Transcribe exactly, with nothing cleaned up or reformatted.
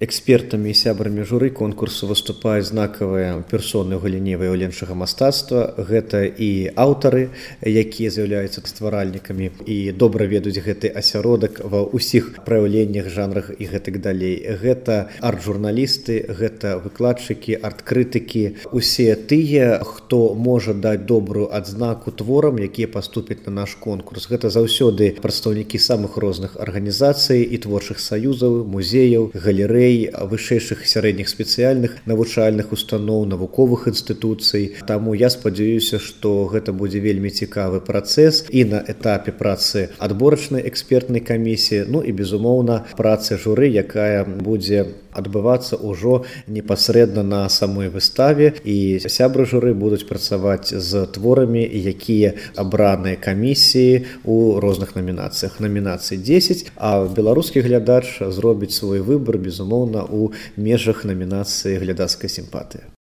Экспертамі і сябрамі журы конкурсу выступаюць знакавыя персоны ў галіне выяўленчага мастацтва. Гэта і аўтары, якія з'яўляюцца стваральнікамі і добра ведаюць гэты асяродак ва ўсіх праяўленнях, жанрах і гэтак далей. Гэта арт-журналісты, гэта выкладчыкі, арт-крытыкі, усе тыя, хто можа даць добрую адзнаку творам, якія паступяць на наш конкурс. Гэта заўсёды прадстаўнікі самых розных арганізацый і творчых саюзаў, музеяў, галерэй, вышэйшых сярэдніх спецыяльных навучальных устаноў, навуковых інстытуцый. Таму я спадзяюся, што гэта будзе вельмі цікавы працэс і на этапе працы адборачнай экспертнай камісіі, ну і, безумоўна, працы журы, якая будзе адбывацца ўжо непасрэдна на самой выставе, і сябры журы будуць працаваць з творамі, якія абраныя камісіі ў розных намінацыях. Намінацый дзесяць, а беларускі глядач зробіць свой выбар, безумоўна, у межах намінацыі глядацкай сімпатыі.